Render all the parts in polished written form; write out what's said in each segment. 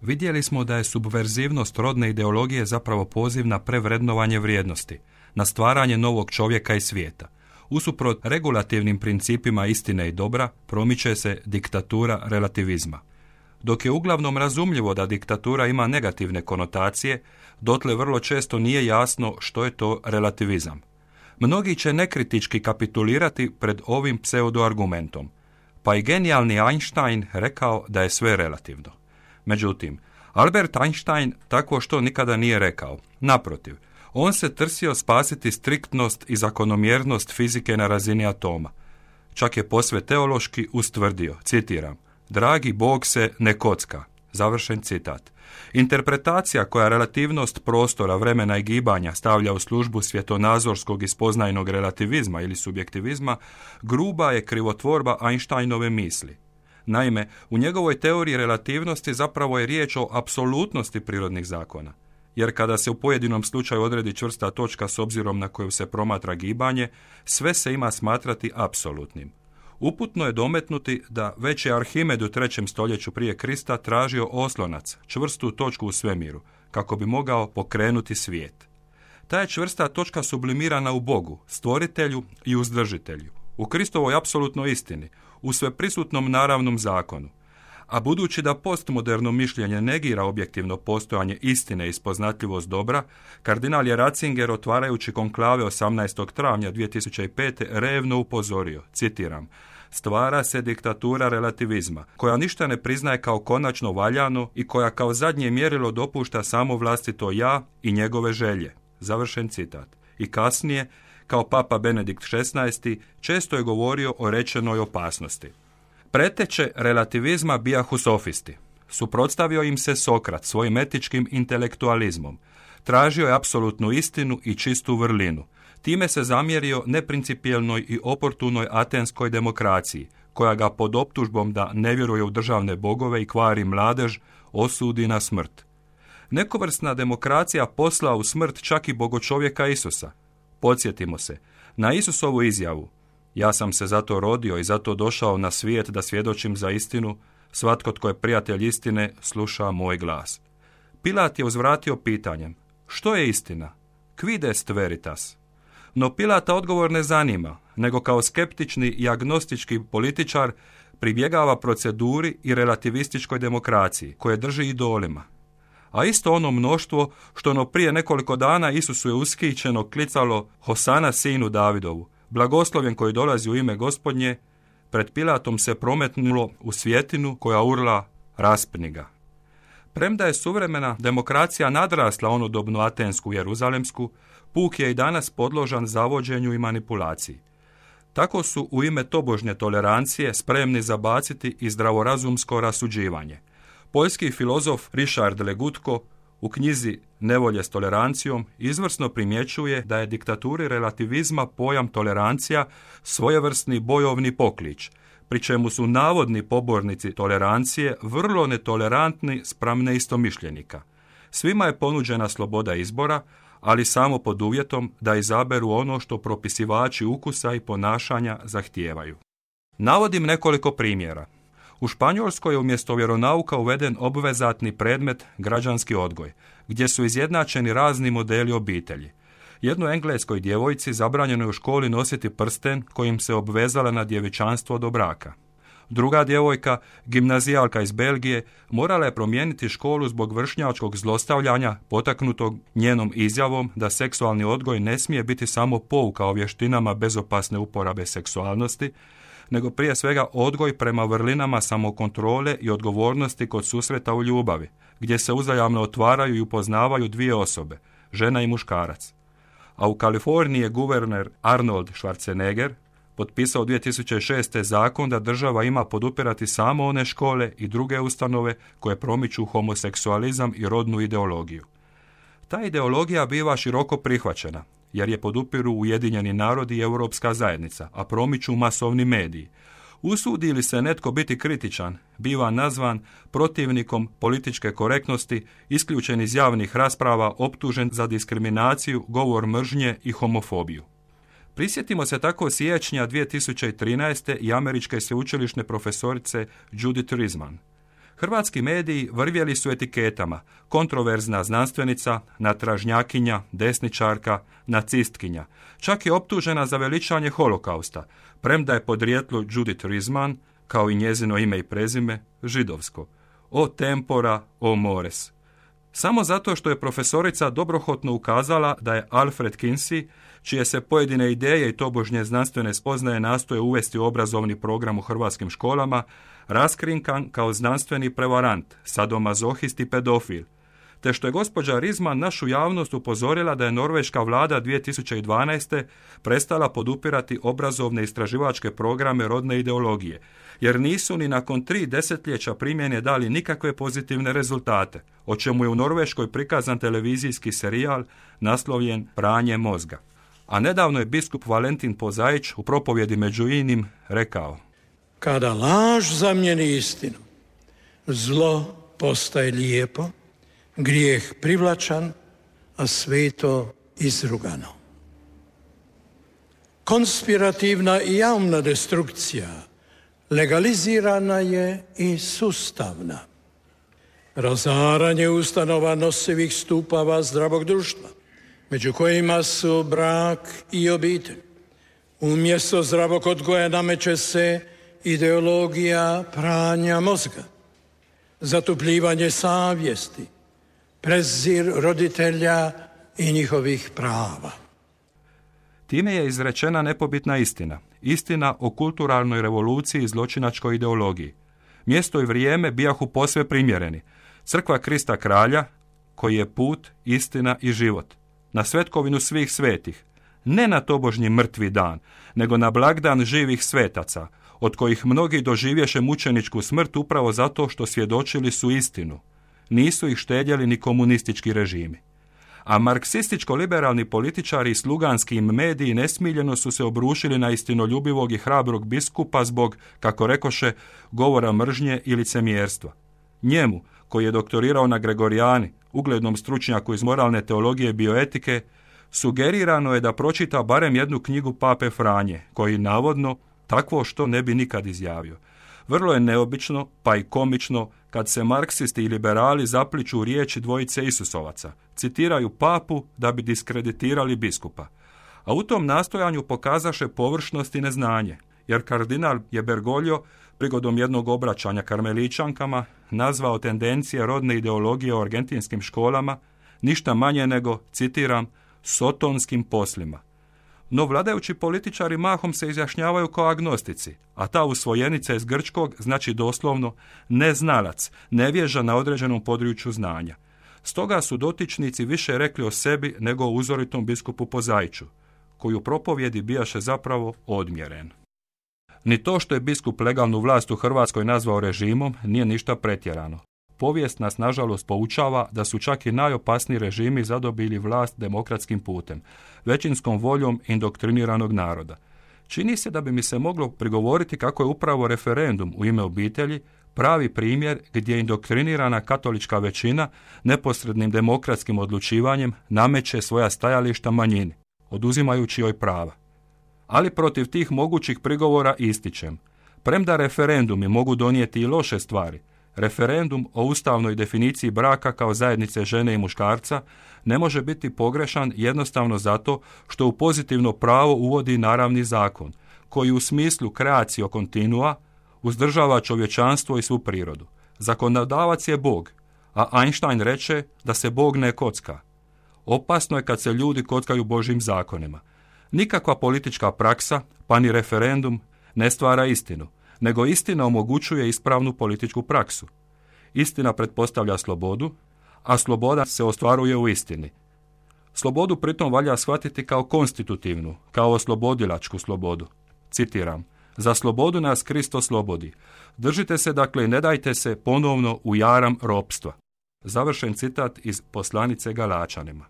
Vidjeli smo da je subverzivnost rodne ideologije zapravo poziv na prevrednovanje vrijednosti, na stvaranje novog čovjeka i svijeta. Usuprot regulativnim principima istine i dobra, promiče se diktatura relativizma. Dok je uglavnom razumljivo da diktatura ima negativne konotacije, dotle vrlo često nije jasno što je to relativizam. Mnogi će nekritički kapitulirati pred ovim pseudoargumentom, pa i genijalni Einstein rekao da je sve relativno. Međutim, Albert Einstein tako što nikada nije rekao. Naprotiv, on se trsio spasiti striktnost i zakonomjernost fizike na razini atoma. Čak je posve teološki ustvrdio, citiram, dragi Bog se ne kocka. Završen citat. Interpretacija koja relativnost prostora, vremena i gibanja stavlja u službu svjetonazorskog i spoznajnog relativizma ili subjektivizma, gruba je krivotvorba Einsteinove misli. Naime, u njegovoj teoriji relativnosti zapravo je riječ o apsolutnosti prirodnih zakona. Jer kada se u pojedinom slučaju odredi čvrsta točka s obzirom na koju se promatra gibanje, sve se ima smatrati apsolutnim. Uputno je dometnuti da već je Arhimed u 3. stoljeću prije Krista tražio oslonac, čvrstu točku u svemiru, kako bi mogao pokrenuti svijet. Ta je čvrsta točka sublimirana u Bogu, stvoritelju i uzdržitelju, u Kristovoj apsolutnoj istini, u sveprisutnom naravnom zakonu. A budući da postmoderno mišljenje negira objektivno postojanje istine i spoznatljivost dobra, kardinal je Ratzinger, otvarajući konklave 18. travnja 2005. revno upozorio, citiram, stvara se diktatura relativizma, koja ništa ne priznaje kao konačno valjano i koja kao zadnje mjerilo dopušta samo vlastito ja i njegove želje. Završen citat. I kasnije, kao papa Benedikt XVI, često je govorio o rečenoj opasnosti. Preteče relativizma bijahu sofisti. Suprotstavio im se Sokrat svojim etičkim intelektualizmom. Tražio je apsolutnu istinu i čistu vrlinu. Time se zamjerio neprincipijelnoj i oportunoj atenskoj demokraciji, koja ga pod optužbom da ne vjeruje u državne bogove i kvari mladež, osudi na smrt. Nekovrsna demokracija posla u smrt čak i bogočovjeka Isusa. Podsjetimo se, na Isusovu izjavu, ja sam se zato rodio i zato došao na svijet da svjedočim za istinu, svatko tko je prijatelj istine sluša moj glas. Pilat je uzvratio pitanjem, što je istina? Quid est veritas? No Pilata odgovor ne zanima, nego kao skeptični i agnostički političar pribjegava proceduri i relativističkoj demokraciji, koje drži idolima. A isto ono mnoštvo što prije nekoliko dana Isusu je uskićeno klicalo Hosana sinu Davidovu, blagoslovljen koji dolazi u ime Gospodnje, pred Pilatom se prometnulo u svjetinu koja urla raspni ga. Premda je suvremena demokracija nadrasla onodobnu atensku Jeruzalemsku, puk je i danas podložan zavođenju i manipulaciji. Tako su u ime tobožnje tolerancije spremni zabaciti i zdravorazumsko rasuđivanje. Poljski filozof Richard Legutko u knjizi Nevolje s tolerancijom izvrsno primjećuje da je diktaturi relativizma pojam tolerancija svojevrsni bojovni poklič, pri čemu su navodni pobornici tolerancije vrlo netolerantni spram neistomišljenika. Svima je ponuđena sloboda izbora, ali samo pod uvjetom da izaberu ono što propisivači ukusa i ponašanja zahtijevaju. Navodim nekoliko primjera. U Španjolskoj je umjesto vjeronauka uveden obvezatni predmet građanski odgoj, gdje su izjednačeni razni modeli obitelji. Jednoj engleskoj djevojci zabranjeno je u školi nositi prsten kojim se obvezala na djevičanstvo do braka. Druga djevojka, gimnazijalka iz Belgije, morala je promijeniti školu zbog vršnjačkog zlostavljanja potaknutog njenom izjavom da seksualni odgoj ne smije biti samo pouka o vještinama bezopasne uporabe seksualnosti, nego prije svega odgoj prema vrlinama samokontrole i odgovornosti kod susreta u ljubavi, gdje se uzajamno otvaraju i upoznavaju dvije osobe, žena i muškarac. A u Kaliforniji je guverner Arnold Schwarzenegger potpisao 2006. zakon da država ima podupirati samo one škole i druge ustanove koje promiču homoseksualizam i rodnu ideologiju. Ta ideologija biva široko prihvaćena, jer je podupiru Ujedinjeni narodi i Europska zajednica, a promiču masovni mediji. Usudi li se netko biti kritičan, biva nazvan protivnikom političke korektnosti, isključen iz javnih rasprava, optužen za diskriminaciju, govor mržnje i homofobiju. Prisjetimo se tako siječnja 2013. i američke sveučilišne profesorice Judith Risman. Hrvatski mediji vrvjeli su etiketama: kontroverzna znanstvenica, natražnjakinja, desničarka, nacistkinja. Čak je optužena za veličanje holokausta, premda je podrijetlo Judith Rizman, kao i njezino ime i prezime, židovsko. O tempora, o mores. Samo zato što je profesorica dobrohotno ukazala da je Alfred Kinsey, čije se pojedine ideje i tobožnje znanstvene spoznaje nastoje uvesti u obrazovni program u hrvatskim školama, raskrinkan kao znanstveni prevarant, sadomazohist i pedofil, te što je gospođa Rizman našu javnost upozorila da je norveška vlada 2012. prestala podupirati obrazovne istraživačke programe rodne ideologije, jer nisu ni nakon 3 desetljeća primjene dali nikakve pozitivne rezultate, o čemu je u Norveškoj prikazan televizijski serijal naslovljen Pranje mozga. A nedavno je biskup Valentin Pozaić u propovjedi među inim rekao: kada laž zamijeni istinu, zlo postaje lijepo, grijeh privlačan, a sveto izrugano. Konspirativna i javna destrukcija legalizirana je i sustavna. Razaranje ustanova nosivih stupava zdravog društva, među kojima su brak i obitelj. Umjesto zdravog odgoja nameće se ideologija pranja mozga, zatupljivanje savjesti, prezir roditelja i njihovih prava. Time je izrečena nepobitna istina. Istina o kulturalnoj revoluciji i zločinačkoj ideologiji. Mjesto i vrijeme bijahu posve primjereni. Crkva Krista Kralja, koji je put, istina i život. Na svetkovinu svih svetih. Ne na tobožnji mrtvi dan, nego na blagdan živih svetaca, od kojih mnogi doživješe mučeničku smrt upravo zato što svjedočili su istinu. Nisu ih štedjeli ni komunistički režimi. A marksističko-liberalni političari i sluganski mediji nesmiljeno su se obrušili na istinoljubivog i hrabrog biskupa zbog, kako rekoše, govora mržnje i licemjerstva. Njemu, koji je doktorirao na Gregorijani, uglednom stručnjaku iz moralne teologije i bioetike, sugerirano je da pročita barem jednu knjigu Pape Franje, koji navodno takvo što ne bi nikad izjavio. Vrlo je neobično, pa i komično, kad se marksisti i liberali zapliču u riječi dvojice Isusovaca, citiraju papu da bi diskreditirali biskupa. A u tom nastojanju pokazaše površnost i neznanje, jer kardinal je Bergoglio prigodom jednog obraćanja karmeličankama nazvao tendencije rodne ideologije u argentinskim školama ništa manje nego, citiram, sotonskim poslima. No vladajući političari mahom se izjašnjavaju kao agnostici, a ta usvojenica iz grčkog znači doslovno neznalac, nevježa na određenom području znanja. Stoga su dotičnici više rekli o sebi nego o uzoritom biskupu Pozaiću, koji u propovjedi bijaše zapravo odmjeren. Ni to što je biskup legalnu vlast u Hrvatskoj nazvao režimom nije ništa pretjerano. Povijest nas nažalost poučava da su čak i najopasniji režimi zadobili vlast demokratskim putem, većinskom voljom indoktriniranog naroda. Čini se da bi mi se moglo prigovoriti kako je upravo referendum u ime obitelji pravi primjer gdje indoktrinirana katolička većina neposrednim demokratskim odlučivanjem nameće svoja stajališta manjini, oduzimajući joj prava. Ali protiv tih mogućih prigovora ističem, premda referendumi mogu donijeti i loše stvari, referendum o ustavnoj definiciji braka kao zajednice žene i muškarca ne može biti pogrešan jednostavno zato što u pozitivno pravo uvodi naravni zakon, koji u smislu creatio continua uzdržava čovječanstvo i svu prirodu. Zakonodavac je Bog, a Einstein reče da se Bog ne kocka. Opasno je kad se ljudi kockaju Božjim zakonima. Nikakva politička praksa, pa ni referendum, ne stvara istinu, nego istina omogućuje ispravnu političku praksu. Istina pretpostavlja slobodu, a sloboda se ostvaruje u istini. Slobodu pritom valja shvatiti kao konstitutivnu, kao oslobodilačku slobodu. Citiram: za slobodu nas Kristo slobodi. Držite se dakle i ne dajte se ponovno u jaram ropstva. Završen citat iz poslanice Galačanima.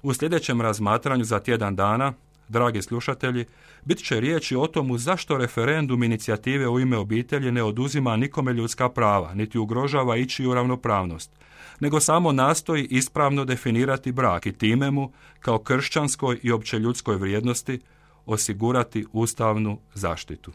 U sljedećem razmatranju za tjedan dana, dragi slušatelji, bit će riječi o tomu zašto referendum inicijative u ime obitelji ne oduzima nikome ljudska prava, niti ugrožava ičiju ravnopravnost, nego samo nastoji ispravno definirati brak i time mu, kao kršćanskoj i općeljudskoj vrijednosti, osigurati ustavnu zaštitu.